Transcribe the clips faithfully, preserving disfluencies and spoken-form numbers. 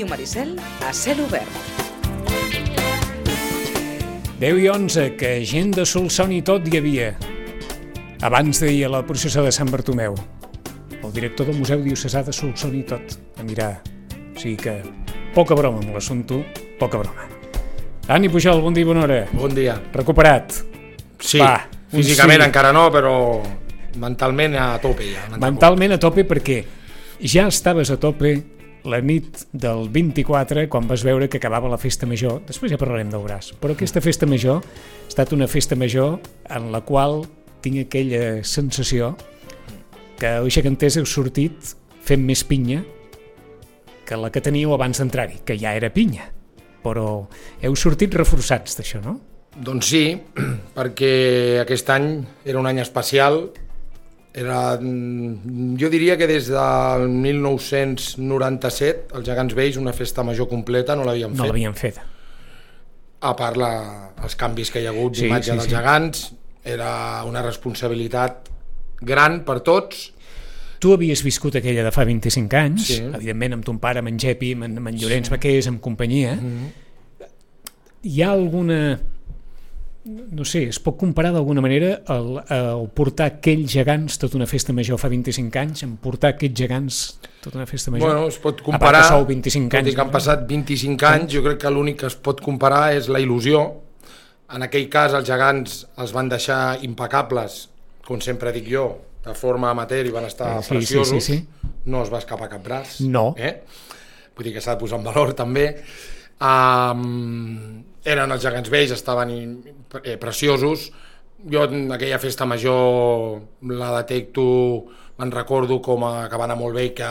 Ràdio Maricel a cel obert. deu i onze, que gent de Solsona i tot hi havia. Abans deia la processó de Sant Bartomeu. El director del Museu Diocesà de Solsona i tot a mirar. O sigui que poca broma amb l'assumpte, poca broma. Dani Pujol, bon dia i bona hora. Bon dia. Recuperat? Sí, Va, físicament sí. Encara no, però mentalment a tope ja. Mentalment a tope perquè ja estaves a tope la nit del vint-i-quatre, quan vas veure que acabava la festa major. Després ja parlarem del braç. Però aquesta festa major ha estat una festa major en la qual tinc aquella sensació que els geganters heu sortit fent més pinya que la que teníeu abans d'entrar-hi, que ja era pinya. Però heu sortit reforçats d'això, no? Doncs sí, perquè aquest any era un any especial. Era, jo diria que des del mil nou-cents noranta-set els Gegants Vells una festa major completa no l'havien fet. No l'havien fet. A part la, els canvis que hi ha hagut Sí, d'imatge sí, dels sí. Gegants, era una responsabilitat gran per tots. Tu havies viscut aquella de fa vint-i-cinc anys, Sí. evidentment amb ton pare, amb en Gepi, amb en, amb en Llorenç sí. Vaquers, amb companyia. Mm-hmm. Hi ha alguna... no sé, es pot comparar d'alguna manera el, el portar aquells gegants tota una festa major fa vint-i-cinc anys amb portar aquests gegants tota una festa major? Bueno, es pot A comparar, part que sou vint-i-cinc tot anys, i que han no? passat vint-i-cinc anys, jo crec que l'únic que es pot comparar és la il·lusió. En aquell cas els gegants els van deixar impecables, com sempre dic jo, de forma amateur, i van estar Eh, sí, preciosos. sí, sí, sí. No es va escapar cap braç. No. Eh? Vull dir que s'ha de posar en valor també. Um, eren els Gegants Vells, estaven eh, preciosos. Jo en aquella festa major la detecto, me'n recordo com a, que va anar molt bé i que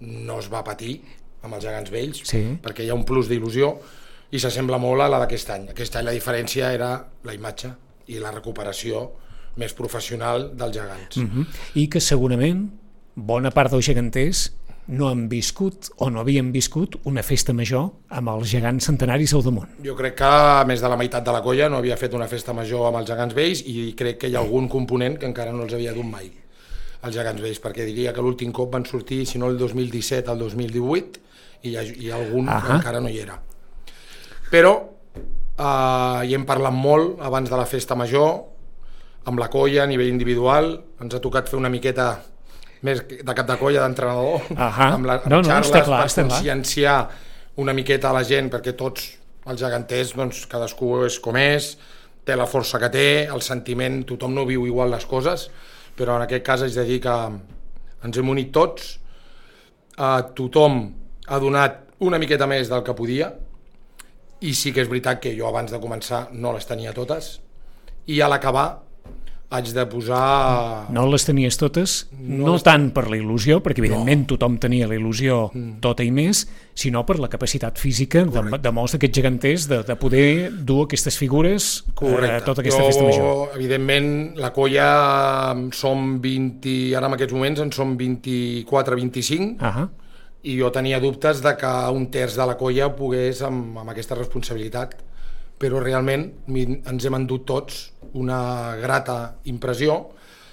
no es va patir amb els Gegants Vells, Sí. perquè hi ha un plus d'il·lusió i s'assembla molt a la d'aquest any. Aquest any la diferència era la imatge i la recuperació més professional dels gegants. Uh-huh. I que segurament bona part dels geganters no han viscut o no havien viscut una festa major amb els gegants centenaris al damunt. Jo crec que més de la meitat de la colla no havia fet una festa major amb els Gegants Vells i crec que hi ha algun component que encara no els havia dut mai, els Gegants Vells, perquè diria que l'últim cop van sortir, si no el dos mil disset, el dos mil divuit, i hi ha, hi ha algun Ahà. que encara no hi era. Però eh, hi hem parlat molt abans de la festa major, amb la colla a nivell individual, ens ha tocat fer una miqueta més de cap de colla d'entrenador, Ahà. amb les No, no, xarles està clar, per està clar. conscienciar una miqueta a la gent, perquè tots els geganters, doncs, cadascú és com és, té la força que té, el sentiment, tothom no viu igual les coses, però en aquest cas haig de dir que ens hem unit tots, eh, tothom ha donat una miqueta més del que podia, i sí que és veritat que jo abans de començar no les tenia totes, i a l'acabar haig de posar... No les tenies totes, no, No no les- tant per la il·lusió, perquè evidentment no. tothom tenia la il·lusió tota i més, sinó per la capacitat física de, de molts d'aquests geganters de, de poder dur aquestes figures a eh, tota aquesta jo, festa major. Evidentment, la colla som vint, ara en aquests moments en som vint-i-quatre vint-i-cinc, Ah, i jo tenia dubtes de que un terç de la colla pogués amb, amb aquesta responsabilitat, però realment ens hem endut tots una grata impressió,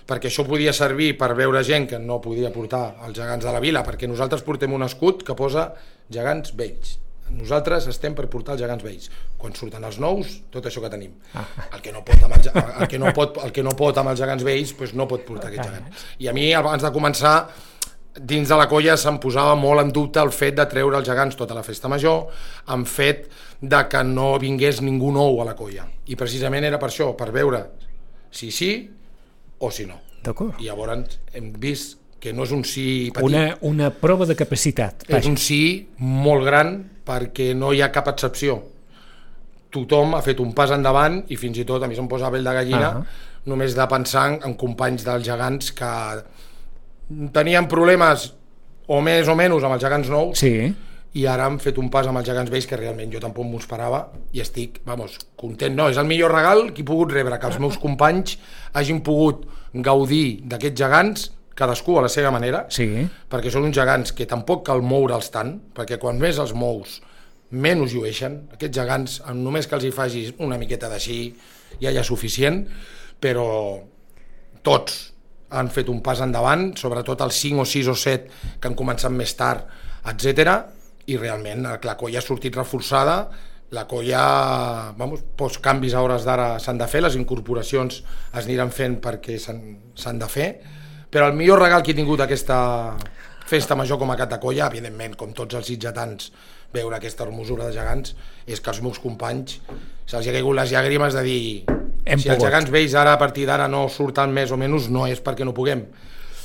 perquè això podia servir per veure gent que no podia portar els gegants de la vila, perquè nosaltres portem un escut que posa Gegants Vells. Nosaltres estem per portar els Gegants Vells. Quan surten els nous, tot això que tenim. Ah. El que no pot amb, el, el que no pot, el que no pot amb els Gegants Vells, doncs no pot portar aquests gegants. I a mi, abans de començar, dins de la colla se'm posava molt en dubte el fet de treure els gegants tota la festa major, en fet de que no vingués ningú nou a la colla. I precisament era per això, per veure si sí o si no. d'acord. I llavors hem vist que no és un sí petit, Una, una prova de capacitat. és un sí molt gran, perquè no hi ha cap excepció. Tothom ha fet un pas endavant i fins i tot, a mi se'm posa pell de gallina, Ah. només de pensar en companys dels gegants que tenien problemes o més o menys amb els gegants nous, Sí, i ara han fet un pas amb els Gegants Vells que realment jo tampoc m'ho esperava i estic, vamos, content. No, és el millor regal que he pogut rebre, que els meus companys hagin pogut gaudir d'aquests gegants, cadascú a la seva manera, sí. perquè són uns gegants que tampoc cal moure'ls tant, perquè quan més els mous, menys llueixen. Aquests gegants, només que els hi facis una miqueta d'així, ja hi ha suficient, però tots han fet un pas endavant, sobretot els cinc o sis o set que han començat més tard, etcètera. i realment la colla ha sortit reforçada, la colla, vamos, pocs canvis a hores d'ara s'han de fer, les incorporacions es aniran fent perquè s'han de fer, però el millor regal que he tingut aquesta festa major com a cap de colla, evidentment, com tots els sitgetans, veure aquesta hermosura de gegants, és que els meus companys se'ls ha caigut les llàgrimes de dir Hem si pogut. Els gegants vells ara a partir d'ara no surten més o menys, no és perquè no puguem,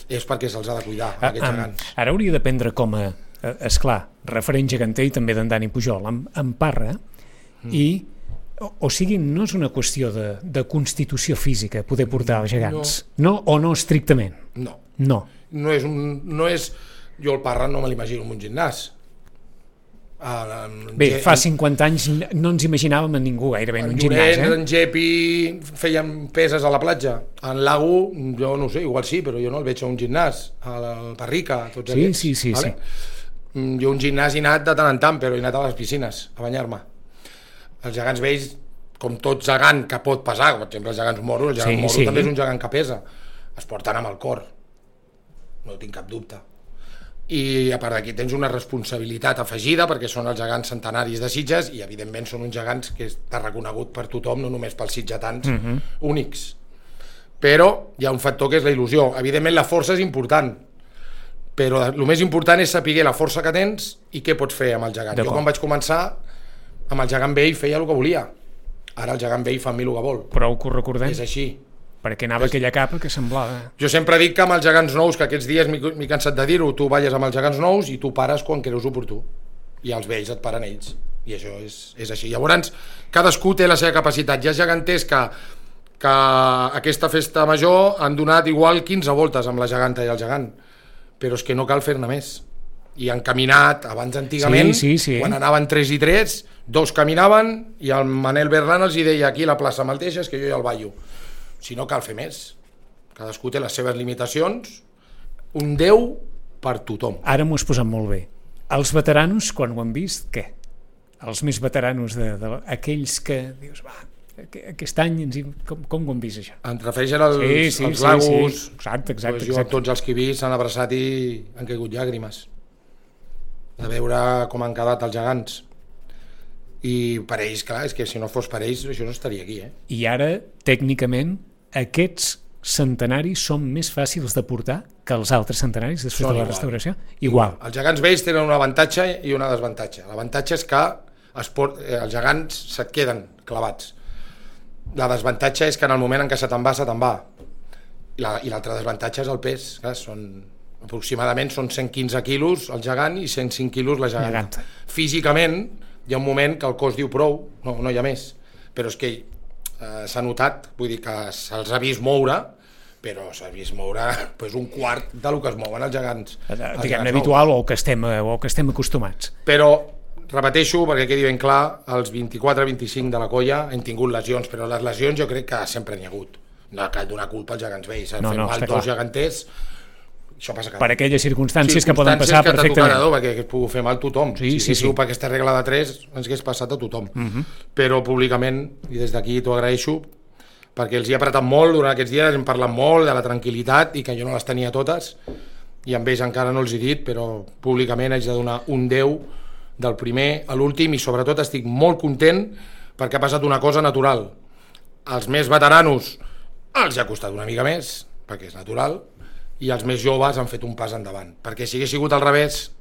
és perquè se'ls ha de cuidar, Ah, aquests ah, gegants. Ara hauria de prendre com a, eh, esclar, referent geganter i també d'en Dani Pujol, en, en Parra, mm. i o, o sigui, no és una qüestió de, de constitució física poder portar els gegants, no, no o no estrictament? No. No. No és un... No és, jo el Parra no me l'imagino en un gimnàs. Ah, Bé, fa cinquanta anys no ens imaginàvem en ningú gairebé en un gimnàs, eh? En Gepi feien peses a la platja. En Lago, jo no sé, igual sí, però jo no el veig a un gimnàs. A la Parrica, tots sí, aquests. Sí, sí, vale? sí. Jo un gimnàs he anat de tant en tant, però he anat a les piscines a banyar-me. Els gegants vells, com tot gegant que pot pesar, per exemple, els gegants moros, el gegant sí, moro sí. també és un gegant que pesa. Es porten amb el cor. No tinc cap dubte. I a part d'aquí tens una responsabilitat afegida perquè són els gegants centenaris de Sitges i evidentment són uns gegants que està reconegut per tothom, no només pels sitgetans uh -huh. únics. Però hi ha un factor que és la il·lusió. Evidentment la força és important, però el més important és saber la força que tens i què pots fer amb el gegant. Jo quan vaig començar amb el gegant vell feia el que volia, ara el gegant vell fa amb mi el que vol. Prou que ho recordem. És així. Perquè anava aquella capa que semblava... Jo sempre dic que amb els gegants nous, que aquests dies m'he cansat de dir-ho, tu balles amb els gegants nous i tu pares quan creus oportú. I els vells et paren ells. I això és, és així. Llavors, cadascú té la seva capacitat. Hi ha geganters que, que aquesta festa major han donat igual quinze voltes amb la geganta i el gegant. Però és que no cal fer-ne més. I han caminat, abans antigament, sí, sí, sí. quan anaven tres i tres, dos caminaven i el Manel Berlan els deia aquí a la plaça me'l deixes que jo ja el ballo. Si no cal fer més. Cadascú té les seves limitacions. Un Déu per tothom. Ara m'ho has posat molt bé. Els veteranos, quan ho han vist, què? Els més veteranos, de, de, aquells que dius, va, aquest any ens hi, com, com ho han vist, això? En refereixen als, sí, sí, als sí, lagos. Sí. Exacte, exacte. Pues jo, exacte. tots els que he vist s'han abraçat i han caigut llàgrimes. De veure com han quedat els gegants. I per ells, clar, és que si no fos per ells, això no estaria aquí, eh? I ara, tècnicament, aquests centenaris són més fàcils de portar que els altres centenaris després són de la igual. restauració? Igual. Els gegants vells tenen un avantatge i un desavantatge. L'avantatge és que es port, eh, els gegants se't queden clavats. La desavantatge és que en el moment en què se te'n va, se te'n va. I l'altre desavantatge és el pes. Clar, són, aproximadament són cent quinze quilos el gegant i cent cinc quilos la geganta. Geganta. Físicament hi ha un moment que el cos diu prou, no, no hi ha més. Però és que eh, s'ha notat, vull dir que se'ls ha vist moure, però s'ha vist moure pues, un quart del que es mouen els gegants. Diguem-ne habitual o que, estem, o que estem acostumats. Però, repeteixo, perquè quedi ben clar, els vint-i-quatre vint-i-cinc de la colla hem tingut lesions, però les lesions jo crec que sempre n'hi ha hagut. No cal donar culpa als gegants vells. No, no, mal dos geganters, això passa cada per aquelles circumstàncies, circumstàncies que poden passar que perfectament. Tocar, perquè es pugui fer mal tothom. Sí, si sí, sí. per aquesta regla de tres ens hagués passat a tothom. Uh -huh. Però públicament, i des d'aquí t'ho agraeixo, perquè els hi he apretat molt durant aquests dies, hem parlat molt de la tranquil·litat i que jo no les tenia totes, i amb ells encara no els he dit, però públicament haig de donar un deu del primer a l'últim, i sobretot estic molt content perquè ha passat una cosa natural. Els més veteranos els ha costat una mica més, perquè és natural, i els més joves han fet un pas endavant, perquè si hagués sigut al revés,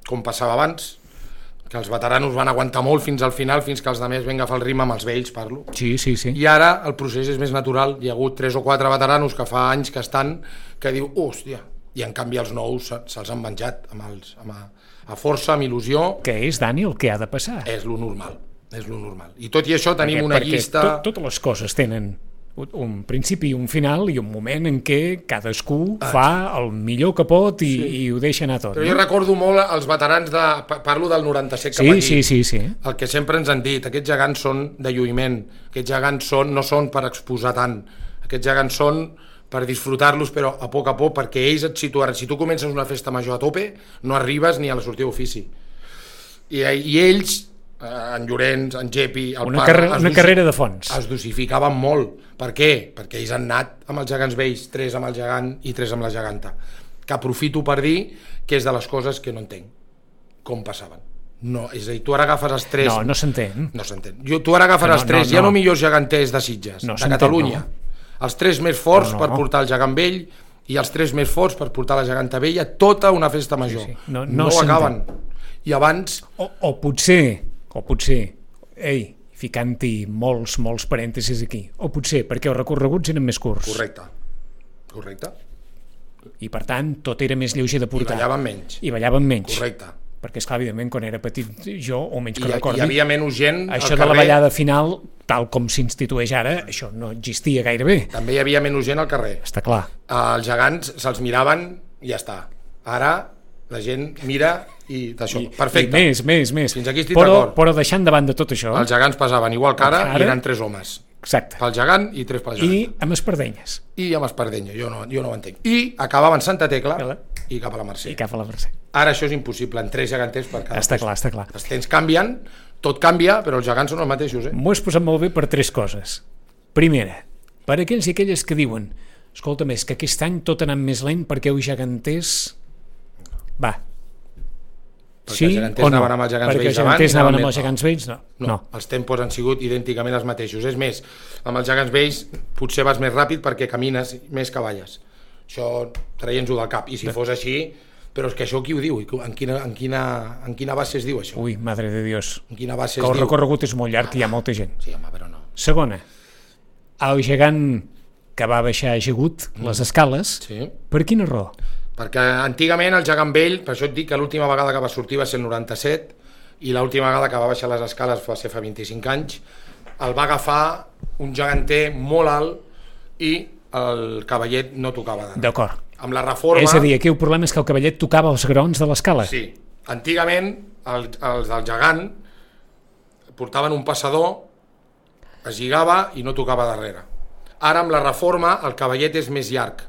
com passava abans, que els veteranos van aguantar molt fins al final, fins que els altres van agafar el ritme, amb els vells parlo, sí, sí, sí. i ara el procés és més natural. Hi ha hagut tres o quatre veteranos que fa anys que estan, que diu, hòstia, i en canvi els nous se'ls han menjat amb els, amb a, a força, amb il·lusió. Què és, Dani, el que ha de passar? És lo normal, és lo normal. I tot i això tenim perquè, una perquè llista... Tot, totes les coses tenen un principi i un final i un moment en què cadascú ah, fa el millor que pot i, sí. i ho deixa anar tot. Però no? jo recordo molt els veterans de... Parlo del noranta-set cap sí, aquí. Sí, sí, sí. El que sempre ens han dit, aquests gegants són de lluïment, aquests gegants són, no són per exposar tant, aquests gegants són per disfrutar-los, però a poc a poc, perquè ells et situaran. Si tu comences una festa major a tope, no arribes ni a la sortida d'ofici. I, I ells... en Llorenç, en Gepi, el una, Parra, carre una carrera de fons. Es dosificaven molt. Per què? Perquè ells han anat amb els gegants vells, tres amb el gegant i tres amb la geganta, que aprofito per dir que és de les coses que no entenc com passaven. No, és a dir, tu ara agafes els tres... No, no s'entén. No s'entén. Jo, tu ara agafes no, els tres, no, ja no. no millors geganters de Sitges, No de s'entén, Catalunya. no. Els tres més forts No, no. per portar el gegant vell i els tres més forts per portar la geganta vella, tota una festa major. Sí, sí. No, no, no ho s'entén. acaben. I abans... O, o potser, o potser, ei, ficant-hi molts, molts parèntesis aquí, o potser perquè els recorreguts eren més curts. Correcte. Correcte. I per tant, tot era més lleuger de I portar. ballaven menys. I ballaven menys. Correcte. Perquè, esclar, evidentment, quan era petit, jo, o menys que I, recordi, hi havia menys gent al això de carrer. la ballada final, tal com s'institueix ara, això no existia gairebé. També hi havia menys gent al carrer. Està clar. Els gegants se'ls miraven i ja està. Ara la gent mira i d'això. I, Perfecte. I més, més, més. Fins aquí estic però, d'acord. però deixant de banda tot això... Els gegants pesaven igual que ara, Ara- i eren tres homes. Exacte. Pel gegant i tres pel gegant. I amb espardenyes. I, I amb espardenya, jo no, jo no ho entenc. I acabava en Santa Tecla Vale. i cap a la Mercè. I cap a la Mercè. Ara això és impossible, en tres geganters per cada Està post. clar, està clar. Els temps canvien, tot canvia, però els gegants són els mateixos, eh? M'ho has posat molt bé per tres coses. Primera, per aquells i aquelles que diuen escolta més, que aquest any tot ha anat més lent perquè els geganters... Va. Perquè Sí els geganters o no? anaven amb els gegants perquè vells els geganters abans i anaven anaven amb més els gegants vells? No. No, no. els tempos han sigut idènticament els mateixos. És més, amb els gegants vells potser vas més ràpid perquè camines més que balles. Això traient-ho del cap. I si fos així... Però és que això qui ho diu? En quina, en quina, en quina base es diu això? Ui, madre de Dios. En quina base Que es el diu? recorregut és molt llarg i hi ha molta gent. Sí, home, però no. Segona, el gegant que va baixar ajagut les escales, Sí. per quina raó? Perquè antigament el gegant vell, per això et dic que l'última vegada que va sortir va ser el noranta-set i l'última vegada que va baixar les escales va ser fa vint-i-cinc anys, el va agafar un geganter molt alt i el cavallet no tocava dalt. D'acord. Amb la reforma... És a dir, aquí el problema és que el cavallet tocava els graons de l'escala. Sí. Antigament el, els del gegant portaven un passador, es lligava i no tocava darrere. Ara amb la reforma el cavallet és més llarg.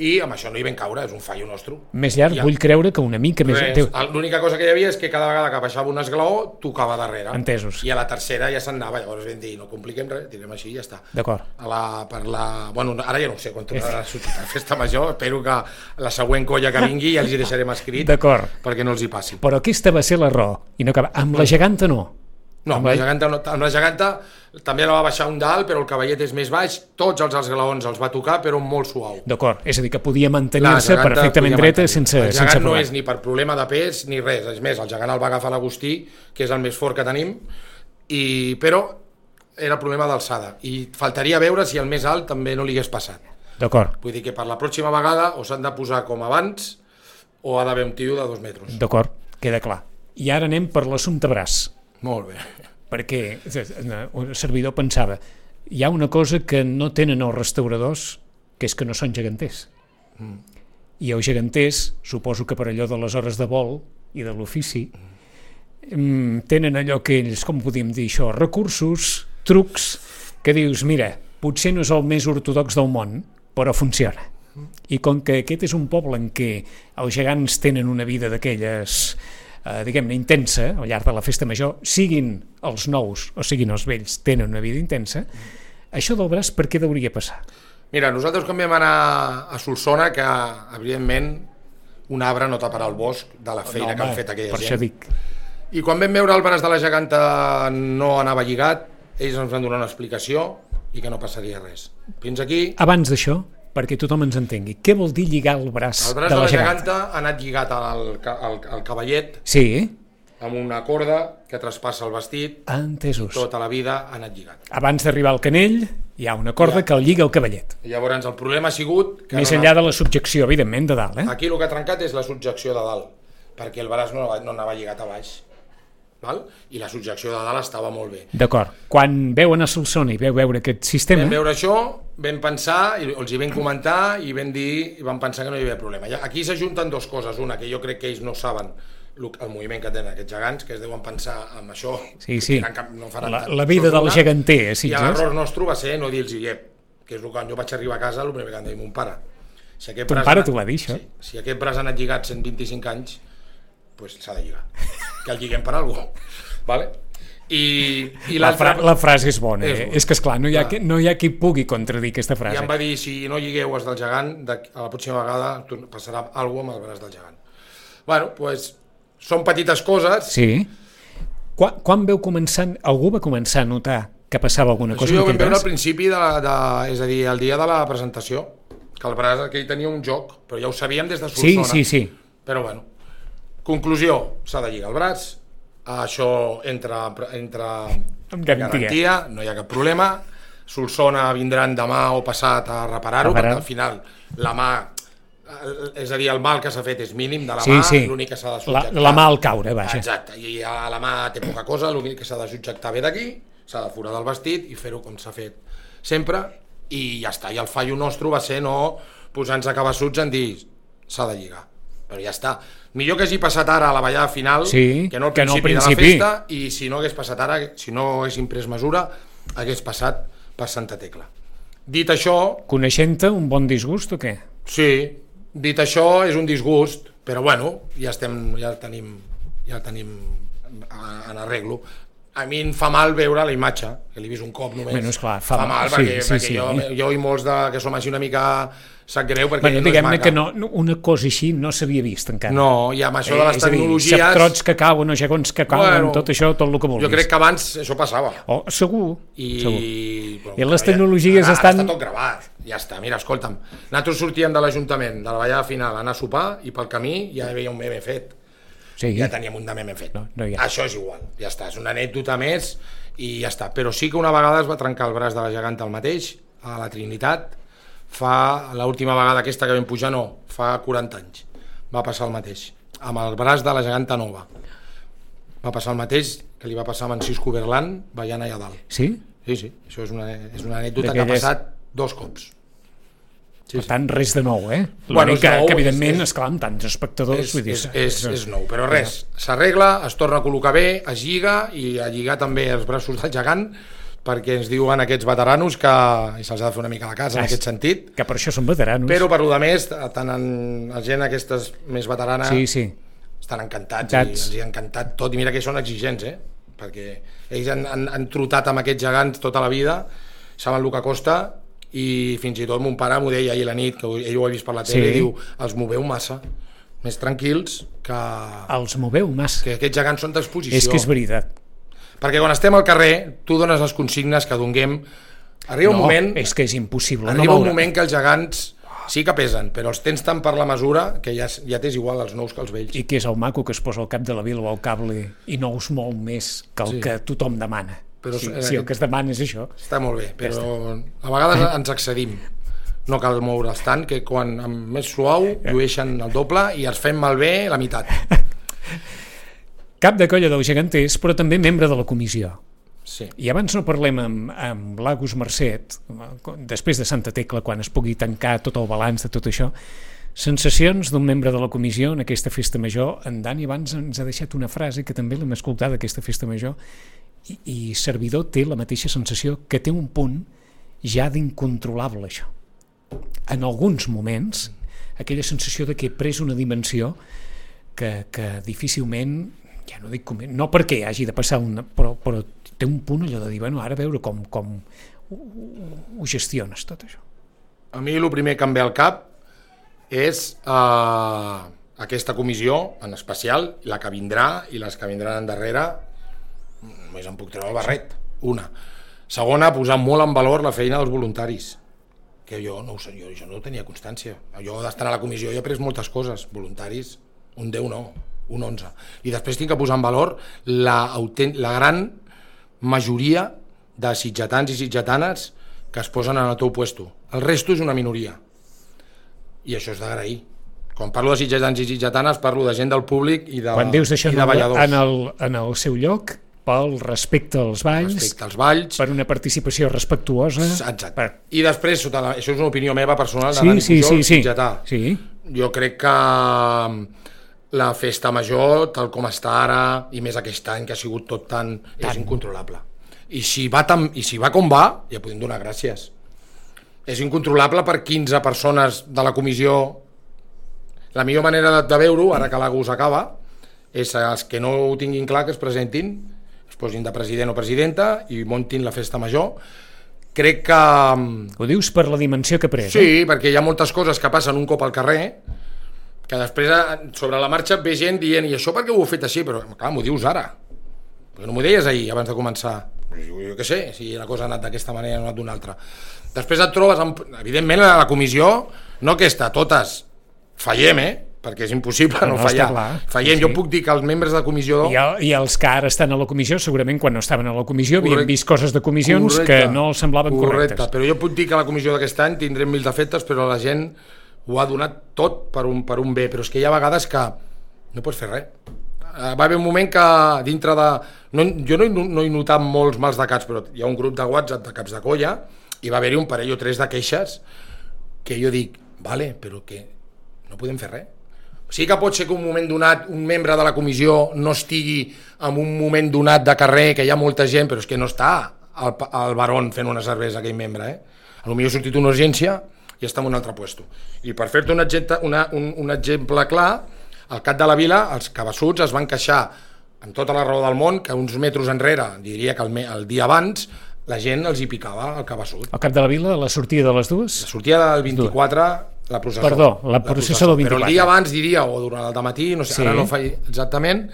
I amb això no hi vam caure, és un fallo nostre. Més llarg, Ja. vull creure que una mica més... Res, Teu... l'única cosa que hi havia és que cada vegada que baixava un esglaó tocava darrere. Entesos. I a la tercera ja se'n anava, llavors vam dir no compliquem res, tirem així i ja està. D'acord. A la, per la, bueno, ara ja no ho sé quan tornarà a sortir la festa major, espero que la següent colla que vingui ja els hi deixarem escrit D'acord. perquè no els hi passi. Però aquesta va ser l'error. I no acaba... Amb la geganta no. No, amb la geganta, no, amb la geganta també la va baixar un dalt, però el cavallet és més baix, tots els esglaons els va tocar, però molt suau. D'acord, és a dir, que podia La mantenir-se geganta perfectament podia dreta mantenir. sense, el gegant sense no problema. és ni per problema de pes ni res, és més, el gegant el va agafar l'Agustí, que és el més fort que tenim, i, però era problema d'alçada, i faltaria veure si el més alt també no li hagués passat. D'acord, Vull dir que per la pròxima vegada o s'han de posar com abans o ha d'haver un tio de dos metres. d'acord, queda clar. I ara anem per l'assumpte braç, Molt bé. perquè un servidor pensava hi ha una cosa que no tenen els restauradors, que és que no són geganters. Mm. I els geganters, suposo que per allò de les hores de vol i de l'ofici, mm, tenen allò que ells, com podríem dir això, recursos, trucs, que dius, mira, potser no és el més ortodox del món, però funciona. I com que aquest és un poble en què els gegants tenen una vida d'aquelles, eh, diguem-ne, intensa, al llarg de la festa major, siguin els nous o siguin els vells, tenen una vida intensa, això del braç per què hauria passar? Mira, nosaltres quan vam anar a Solsona, que evidentment un arbre no taparà el bosc de la feina No, que han home, fet aquella per gent. això dic. I quan vam veure el braç de la geganta no anava lligat, ells ens van donar una explicació i que no passaria res. Fins aquí, Abans d'això, perquè tothom ens entengui, què vol dir lligar el braç, el braç de de la la geganta? geganta ha anat lligat al, ca- al, al cavallet Sí, amb una corda que traspassa el vestit, entesos. tota la vida ha anat lligat. Abans d'arribar al canell, hi ha una corda Ja. que el lliga al cavallet. Llavors el problema ha sigut que Més no enllà de la subjecció, evidentment, de dalt, eh? aquí el que ha trencat és la subjecció de dalt, perquè el braç no, no anava lligat a baix. Val? I la subjecció de dalt estava molt bé. D'acord. Quan veu anar a Solsona i veu veure aquest sistema... Vam veure això, vam pensar, i els hi vam comentar, i vam dir, i vam pensar que no hi havia problema. Aquí s'ajunten dues coses. Una, que jo crec que ells no saben el moviment que tenen aquests gegants, que es deuen pensar en això. Sí, sí. No faran La, tant. la vida Això és del una. geganter, a I Sitges. l'error nostre va ser no dir-los iep, que és el que quan jo vaig arribar a casa, el primer que em deia mon pare. Si aquest Ton braç pare ha anat- t'ho va dir, això? Sí, si aquest braç ha anat lligat cent vint-i-cinc anys, pues s'ha de lligar. Que el lliguem per alguna cosa. Vale? I, i La, fra la frase és bona, És eh? bona. És que, esclar, no hi, ha, Clar. que, no hi ha qui pugui contradir aquesta I frase. em va dir, si no lligueu els del gegant, de, a la pròxima vegada passarà alguna cosa amb el braç del gegant. Bueno, doncs, són petites coses. Sí. Quan, quan veu començar, algú va començar a notar que passava alguna cosa? Això jo ho vam veure al principi, de, la, de, és a dir, el dia de la presentació, que el braç aquell tenia un joc, però ja ho sabíem des de Solsona. Sí, sí, sí. Però bueno, conclusió, s'ha de lligar el braç, això entra, entra amb garantia. garantia, no hi ha cap problema, Solsona vindran demà o passat a reparar-ho, perquè al final la mà, és a dir, el mal que s'ha fet és mínim de la sí, mà, sí. l'únic que s'ha de subjectar... La, la mà al caure, vaja. Exacte, i a la mà té poca cosa, l'únic que s'ha de subjectar bé d'aquí, s'ha de foradar el vestit i fer-ho com s'ha fet sempre, i ja està. I el fallo nostre va ser no posar-nos a cabassuts en dir s'ha de lligar, però ja està. Millor que hagi passat ara a la ballada final sí, que no al principi, principi, no de principi la festa, i si no hagués passat ara, si no haguéssim pres mesura, hagués passat per Santa Tecla. Dit això... Coneixent-te, un bon disgust o què? Sí, dit això, és un disgust, però bueno, ja estem, ja el tenim, ja el tenim en arreglo. A mi em fa mal veure la imatge, que l'he vist un cop només. Bueno, esclar, fa, fa mal, sí, perquè, sí, perquè sí. jo, jo i molts de, que som així una mica sap greu, perquè bueno, no diguem-ne és que no, una cosa així no s'havia vist encara. No, i amb això de les eh, tecnologies... És a dir, trots que cauen o gegons que cauen, bueno, tot això, tot el que vulguis. Jo crec que abans això passava. Oh, segur, I, segur. Però, I les tecnologies ara, estan... Ara està tot gravat, ja està. Mira, escolta'm, nosaltres sortíem de l'Ajuntament, de la ballada final, a anar a sopar, i pel camí ja hi havia un meme fet. Sí. Ja teníem un de meme fet. No, no això és igual, ja està, és una anècdota més i ja està. Però sí que una vegada es va trencar el braç de la geganta al mateix, a la Trinitat, fa l'última vegada aquesta que vam pujar, no, fa quaranta anys, va passar el mateix, amb el braç de la geganta nova. Va passar el mateix que li va passar amb en Cisco Berlan ballant allà dalt. Sí? Sí, sí, això és una, és una anècdota que ha passat dos cops. Sí, per tant, res de nou, eh? L'únic bueno, que, nou, que, evidentment, és, esclar, amb tants espectadors... És, vull dir, és, és, és nou, però res, s'arregla, es torna a col·locar bé, es lliga, i a lligar també els braços del gegant, perquè ens diuen aquests veteranos que se'ls ha de fer una mica a la casa, en aquest sentit. Que per això són veteranos. Però per lo de més, tant en la gent aquestes més veterana, sí, sí. estan encantats, i els hi ha encantat tot, i mira que són exigents, eh? Perquè ells han, han, han trotat amb aquests gegants tota la vida, saben el que costa, i fins i tot mon pare m'ho deia ahir a la nit, que ell ho ha vist per la tele, sí. I diu, els moveu massa, més tranquils que... Els moveu massa. Que aquests gegants són d'exposició. És que és veritat. Perquè quan estem al carrer, tu dones les consignes que donguem, arriba no, un moment... és que és impossible. Arriba no un moment que els gegants sí que pesen, però els tens tant per la mesura que ja, ja tens igual els nous que els vells. I que és el maco que es posa al cap de la vila o al cable i no us mou més que el sí. que tothom demana. Però, sí, eh, sí, el que es demana és això. Està molt bé, però ja a vegades ens excedim. No cal moure'ls tant, que quan amb més suau llueixen el doble i els fem malbé la meitat. Cap de colla dels geganters, però també membre de la comissió. Sí. I abans no parlem amb, amb l'Agus Mercet, després de Santa Tecla, quan es pugui tancar tot el balanç de tot això, sensacions d'un membre de la comissió en aquesta festa major. En Dani abans ens ha deixat una frase que també l'hem escoltat d'aquesta festa major, i, i servidor té la mateixa sensació, que té un punt ja d'incontrolable això. En alguns moments, aquella sensació de que he pres una dimensió que, que difícilment, ja no dic com, no perquè hagi de passar una, però, però té un punt allò de dir, bueno, ara a veure com, com ho, ho gestiones tot això. A mi el primer que em ve al cap és eh, aquesta comissió en especial, la que vindrà i les que vindran endarrere, només em puc treure el barret, una. Segona, posar molt en valor la feina dels voluntaris, que jo no ho sé, jo, jo no tenia constància. Jo d'estar a la comissió he après moltes coses, voluntaris, un deu no, un onze. I després tinc que posar en valor la, la gran majoria de sitgetans i sitgetanes que es posen en el teu puesto. El resto és una minoria. I això és d'agrair. Quan parlo de sitgetans i sitgetanes parlo de gent del públic i de, quan dius d'això i de balladors. En el, en el seu lloc, pel respecte als balls, respecte als balls, per una participació respectuosa. Exacte. Per... I després, sota la, això és una opinió meva personal, de sí, Dani sí, Pujol, sí, sí. sitgetà. Sí. Jo crec que la festa major, tal com està ara, i més aquest any que ha sigut tot tan, tan. és incontrolable. I si, va tan, I si va com va, ja podem donar gràcies. És incontrolable per quinze persones de la comissió. La millor manera de, de veure-ho, ara que l'Agus acaba, és els que no ho tinguin clar que es presentin, es posin de president o presidenta i montin la festa major. Crec que... Ho dius per la dimensió que pres, sí, eh? perquè hi ha moltes coses que passen un cop al carrer que després sobre la marxa ve gent dient i això per què ho heu fet així? Però clar, m'ho dius ara, perquè no m'ho deies ahir abans de començar. Jo, jo què sé, si la cosa ha anat d'aquesta manera o ha anat d'una altra. Després et trobes, amb, evidentment a la comissió, no aquesta, totes fallem, eh? Perquè és impossible no, no fallar. Fallem, sí, sí. Jo puc dir que els membres de la comissió... I, el, I els que ara estan a la comissió, segurament quan no estaven a la comissió havien vist coses de comissions correcte, que no els semblaven correcte, correctes. Però jo puc dir que a la comissió d'aquest any tindrem mil defectes, però la gent ho ha donat tot per un, per un bé, però és que hi ha vegades que no pots fer res. Va haver un moment que dintre de... No, jo no he, no he notat molts mals de caps, però hi ha un grup de WhatsApp de caps de colla i va haver-hi un parell o tres de queixes que jo dic, vale, però que no podem fer res. Sí que pot ser que un moment donat un membre de la comissió no estigui en un moment donat de carrer, que hi ha molta gent, però és que no està al, al Barón fent una cervesa aquell membre, eh? A lo millor ha sortit una urgència i està en un altre puesto. I per fer-te un, una, un, un exemple clar, al Cap de la Vila, els cabassuts es van queixar amb tota la raó del món que uns metres enrere, diria que el, el dia abans, la gent els hi picava el cabassut. Al Cap de la Vila, la sortida de les dues? La sortida del vint-i-quatre, la processó. Perdó, la processó del vint-i-quatre. Però el dia abans, diria, o durant el dematí, no sé, sí. Ara no fa exactament,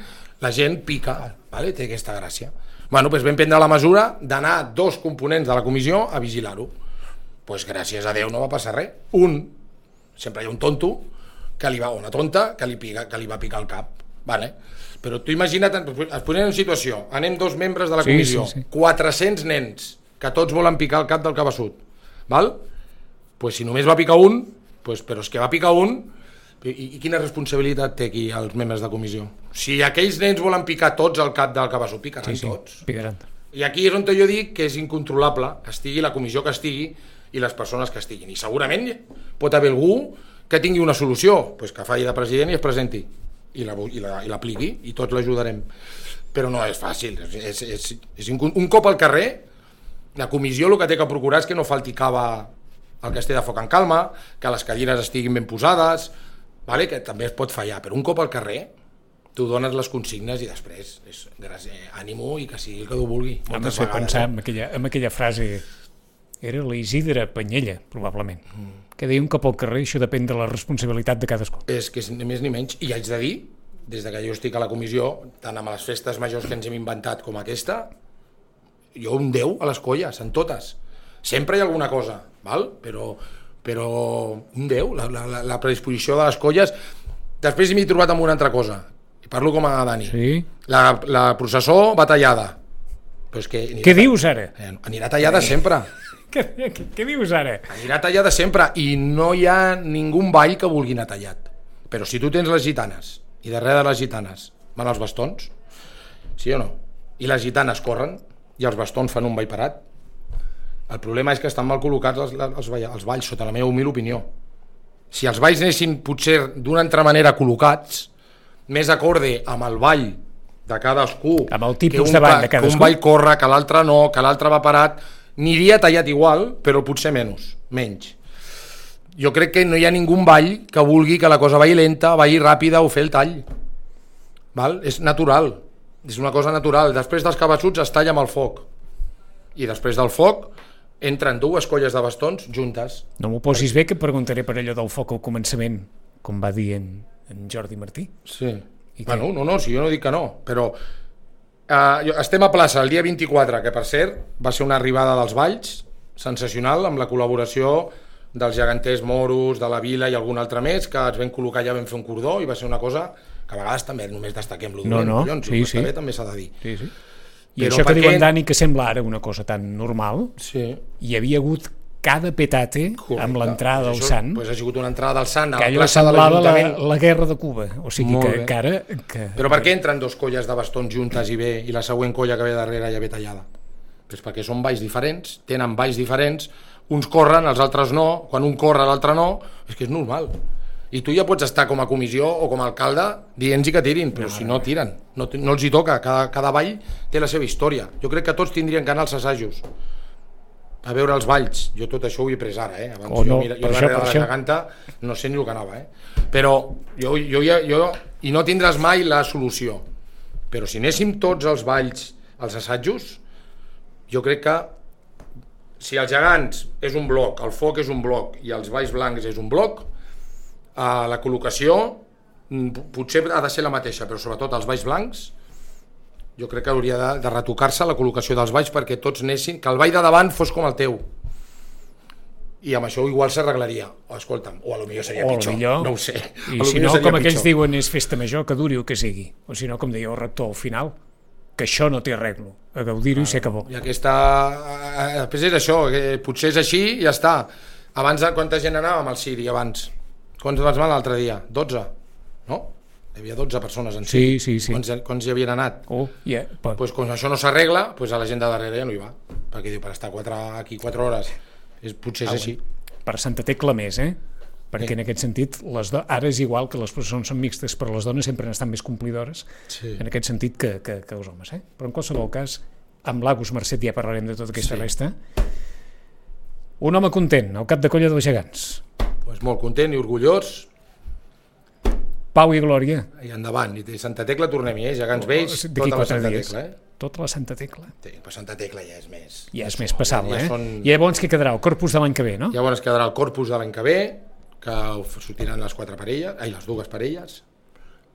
la gent pica, vale? Té aquesta gràcia. Bueno, doncs vam prendre la mesura d'anar dos components de la comissió a vigilar-ho. Doncs gràcies a Déu no va passar res. Un, sempre hi ha un tonto, que li va, una tonta, que li, pica, que li va picar el cap. Vale? Però tu imagina't, es posem en situació, anem dos membres de la comissió, sí, sí, sí. quatre-cents nens, que tots volen picar el cap del cabassut. Val? Pues si només va picar un, pues, però és que va picar un, i, i quina responsabilitat té aquí els membres de comissió? Si aquells nens volen picar tots el cap del cabassut, picaran sí, sí, tots. Picaran. I aquí és on jo dic que és incontrolable, estigui la comissió que estigui i les persones que estiguin. I segurament pot haver algú que tingui una solució, pues que faci de president i es presenti i l'apliqui i tots l'ajudarem, però no és fàcil, és, és, és un cop al carrer la comissió el que té que procurar és que no falti cava al castell de foc en calma, que les cadires estiguin ben posades, vale? Que també es pot fallar, però un cop al carrer tu dones les consignes i després és gràcies, ànimo i que sigui el que tu vulgui. Hem de fer pensar en aquella, en aquella frase, era l'Isidre Panyella probablement, mm. que deia un cop al carrer, això depèn de la responsabilitat de cadascú. És que és ni més ni menys, i haig de dir, des de que jo estic a la comissió, tant amb les festes majors que ens hem inventat com aquesta, jo un deu a les colles, en totes. Sempre hi ha alguna cosa, val? Però, però un deu, la, la, la predisposició de les colles. Després m'he trobat amb una altra cosa, i parlo com a Dani. Sí? La, la processó va tallada. Però és que què dius ara? Anirà tallada sempre. Què, què, què dius ara? Anirà tallada sempre i no hi ha ningú ball que vulgui anar tallat. Però si tu tens les gitanes i darrere de les gitanes van els bastons, sí o no? I les gitanes corren i els bastons fan un ball parat, el problema és que estan mal col·locats els, els, els balls, sota la meva humil opinió. Si els balls anessin potser d'una altra manera col·locats, més acorde amb el ball de cadascú, amb el tipus de ball de cadascú, que un ball corre, que l'altre no, que l'altre va parat, aniria tallat igual, però potser menys, menys. Jo crec que no hi ha ningú ball que vulgui que la cosa vagi lenta, vagi ràpida o fer el tall. Val? És natural, és una cosa natural. Després dels cabassuts es talla amb el foc. I després del foc entren dues colles de bastons juntes. No m'ho posis bé, que preguntaré per allò del foc al començament, com va dir en, en Jordi Martí. Sí. I bueno, no, no, si jo no dic que no, però Uh, estem a plaça el dia vint-i-quatre, que per cert va ser una arribada dels balls sensacional, amb la col·laboració dels geganters moros, de la vila i algun altre més, que ens vam col·locar allà, vam fer un cordó i va ser una cosa que a vegades també només destaquem l'ho no, no, collons, sí, sí. També, també s'ha de dir. Sí, sí. I però això que diu en Dani, que sembla ara una cosa tan normal, sí. Hi havia hagut cada petate correcte. Amb l'entrada del Sant, pues ha sigut una entrada del Sant a que la allò plaça de semblava la, l'Ajuntament. la guerra de Cuba, o sigui que, que ara que... Però per què entren dos colles de bastons juntes i ve i la següent colla que ve darrere ja ve tallada? Pues perquè són balls diferents, tenen balls diferents, uns corren, els altres no, quan un corre l'altre no, és que és normal. I tu ja pots estar com a comissió o com a alcalde dient-hi que tirin, però no, si no tiren, no, no els hi toca, cada, cada ball té la seva història. Jo crec que tots tindrien que anar als assajos a veure els balls. Jo tot això ho he pres ara, eh? Abans oh, no, jo, mira, jo darrere de la geganta no sé ni el que anava, eh? Però jo, jo, jo, jo, i no tindràs mai la solució, però si anéssim tots els balls als assajos, jo crec que si els gegants és un bloc, el foc és un bloc i els balls blancs és un bloc, eh, la col·locació potser ha de ser la mateixa, però sobretot els balls blancs, jo crec que hauria de, de retocar-se la col·locació dels balls perquè tots anessin, que el ball de davant fos com el teu. I amb això igual s'arreglaria. O escolta'm, o a lo millor seria O pitjor, millor, no ho sé. I si no, com aquells diuen, és festa major, que duri o que sigui. O si no, com deia el rector al final, que això no té arreglo, a gaudir-ho i ser que bo. I aquesta... Després és això, que potser és així i ja està. Abans, quanta gent anava amb el Siri abans? Quants vas anar l'altre dia? dotze? No? Hi havia dotze persones en sí. Sí, sí, sí. Quants, quants hi havien anat? Oh, yeah, but... pues, quan això no s'arregla, pues a la gent de darrere ja no hi va. Perquè diu, per estar quatre, aquí quatre hores, és, potser és ah, així. Per Santa Tecla més, eh? Perquè sí. En aquest sentit, les do... ara és igual que les processons són mixtes, però les dones sempre estan més complidores, sí. En aquest sentit que, que, que els homes. Eh? Però en qualsevol cas, amb l'Agus Mercet ja parlarem de tota aquesta sí. Resta. Un home content, al cap de colla dels gegants. Pues molt content i orgullós. Pau i glòria. I endavant, i Santa Tecla tornem-hi, eh? Gegants vells, oh, tota la Santa dies. Tecla. Eh? Tota la Santa Tecla. Sí, però Santa Tecla ja és més... Ja és més passable, ja, ja eh? Són... I llavors què quedarà? El corpus de l'any que ve, no? Llavors quedarà el corpus de l'any que ve, que sortiran les quatre parelles, ai, les dues parelles,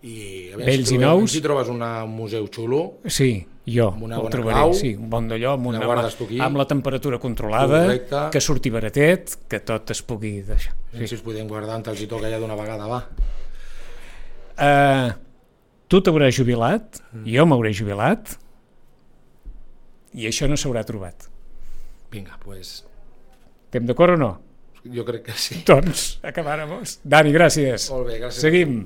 i a veure, vells si i trobes, nous. Si trobes una, un museu xulo, sí, jo amb una el bona trobaré, clau, sí, un bon d'allò, amb, una, amb, amb la temperatura controlada, correcte. Que surti baratet, que tot es pugui deixar. Sí. Si us podem guardar on els hi toca ja d'una vegada, va. Uh, tu t'hauràs jubilat, mm. jo m'hauré jubilat, i això no s'haurà trobat. Vinga, doncs... Pues... Estem d'acord o no? Jo crec que sí. Doncs acabàrem. Dani, gràcies. Molt bé, gràcies. Seguim.